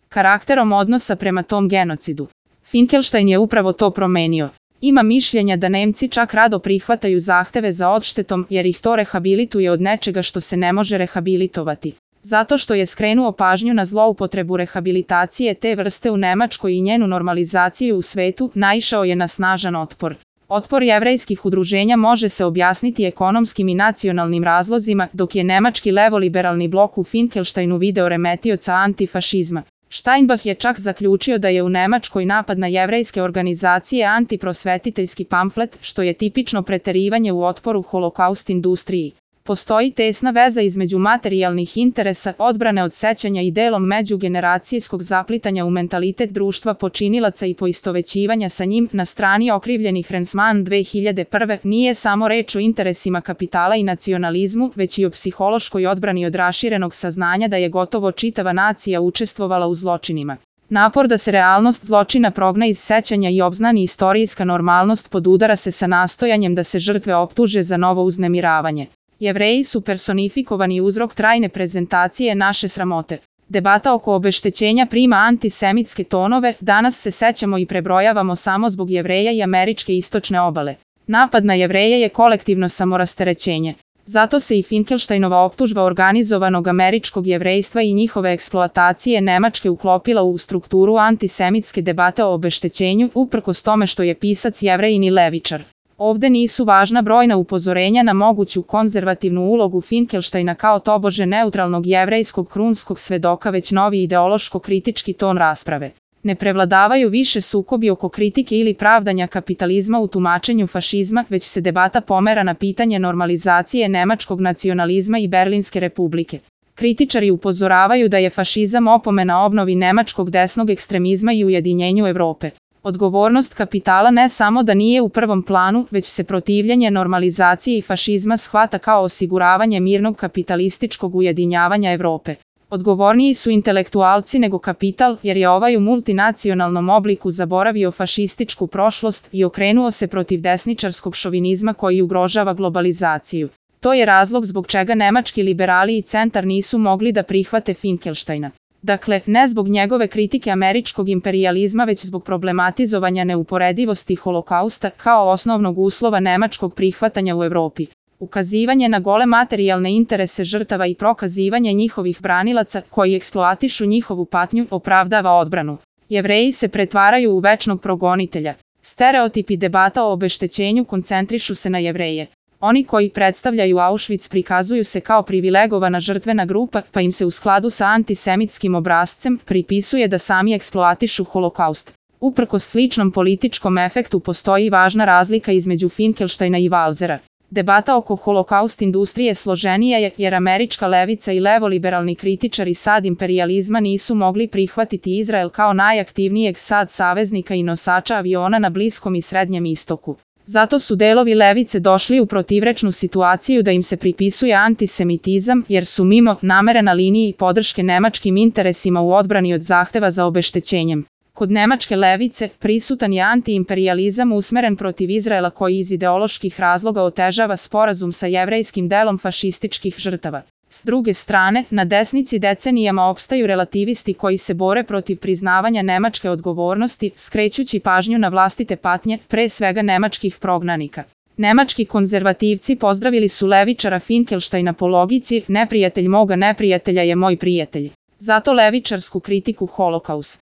karakterom odnosa prema tom genocidu. Finkelstein je upravo to promenio. Ima mišljenja da Nemci čak rado prihvataju zahteve za odštetom jer ih to rehabilituje od nečega što se ne može rehabilitovati. Zato što je skrenuo pažnju na zloupotrebu rehabilitacije te vrste u Nemačkoj i njenu normalizaciju u svetu, naišao je na snažan otpor. Otpor jevrejskih udruženja može se objasniti ekonomskim i nacionalnim razlozima, dok je nemački levoliberalni blok u Finkelsteinu video remetioca antifašizma. Steinbach je čak zaključio da je u Nemačkoj napad na jevrejske organizacije antiprosvetiteljski pamflet, što je tipično preterivanje u otporu holokaust industriji. Postoji tesna veza između materijalnih interesa, odbrane od sećanja i delom međugeneracijskog zaplitanja u mentalitet društva počinilaca i poistovećivanja sa njim. Na strani okrivljenih Rensman 2001. nije samo reč o interesima kapitala i nacionalizmu, već i o psihološkoj odbrani od raširenog saznanja da je gotovo čitava nacija učestvovala u zločinima. Napor da se realnost zločina progna iz sećanja i obznani istorijska normalnost podudara se sa nastojanjem da se žrtve optuže za novo uznemiravanje. Jevreji su personifikovani uzrok trajne prezentacije naše sramote. Debata oko obeštećenja prima antisemitske tonove, danas se sećamo i prebrojavamo samo zbog Jevreja i američke istočne obale. Napad na Jevreje je kolektivno samorasterećenje. Zato se i Finkelsteinova optužba organizovanog američkog jevrejstva i njihove eksploatacije Nemačke uklopila u strukturu antisemitske debate o obeštećenju, uprkos tome što je pisac Jevrejin i levičar. Ovde nisu važna brojna upozorenja na moguću konzervativnu ulogu Finkelsteina kao tobože neutralnog jevrejskog krunskog svedoka, već novi ideološko-kritički ton rasprave. Ne prevladavaju više sukobi oko kritike ili pravdanja kapitalizma u tumačenju fašizma, već se debata pomera na pitanje normalizacije nemačkog nacionalizma i Berlinske republike. Kritičari upozoravaju da je fašizam opomena obnovi nemačkog desnog ekstremizma i ujedinjenju Evrope. Odgovornost kapitala ne samo da nije u prvom planu, već se protivljenje normalizaciji i fašizma shvata kao osiguravanje mirnog kapitalističkog ujedinjavanja Evrope. Odgovorniji su intelektualci nego kapital, jer je ovaj u multinacionalnom obliku zaboravio fašističku prošlost i okrenuo se protiv desničarskog šovinizma koji ugrožava globalizaciju. To je razlog zbog čega nemački liberali i centar nisu mogli da prihvate Finkelsteina. Dakle, ne zbog njegove kritike američkog imperijalizma, već zbog problematizovanja neuporedivosti holokausta kao osnovnog uslova nemačkog prihvatanja u Evropi. Ukazivanje na gole materijalne interese žrtava i prokazivanje njihovih branilaca koji eksploatišu njihovu patnju opravdava odbranu. Jevreji se pretvaraju u večnog progonitelja. Stereotipi debata o obeštećenju koncentrišu se na Jevreje. Oni koji predstavljaju Auschwitz prikazuju se kao privilegovana žrtvena grupa, pa im se u skladu sa antisemitskim obrascem pripisuje da sami eksploatišu holokaust. Uprkos sličnom političkom efektu postoji važna razlika između Finkelsteina i Walzera. Debata oko holokaust industrije složenija je jer američka levica i levoliberalni kritičari sad imperijalizma nisu mogli prihvatiti Izrael kao najaktivnijeg sad saveznika i nosača aviona na Bliskom i Srednjem istoku. Zato su delovi levice došli u protivrečnu situaciju da im se pripisuje antisemitizam, jer su mimo namere na liniji podrške nemačkim interesima u odbrani od zahteva za obeštećenjem. Kod nemačke levice prisutan je antiimperijalizam usmeren protiv Izraela koji iz ideoloških razloga otežava sporazum sa jevrejskim delom fašističkih žrtava. S druge strane, na desnici decenijama opstaju relativisti koji se bore protiv priznavanja nemačke odgovornosti, skrećući pažnju na vlastite patnje, pre svega nemačkih prognanika. Nemački konzervativci pozdravili su levičara Finkelsteina po logici neprijatelj moga neprijatelja je moj prijatelj. Zato levičarsku kritiku holokausta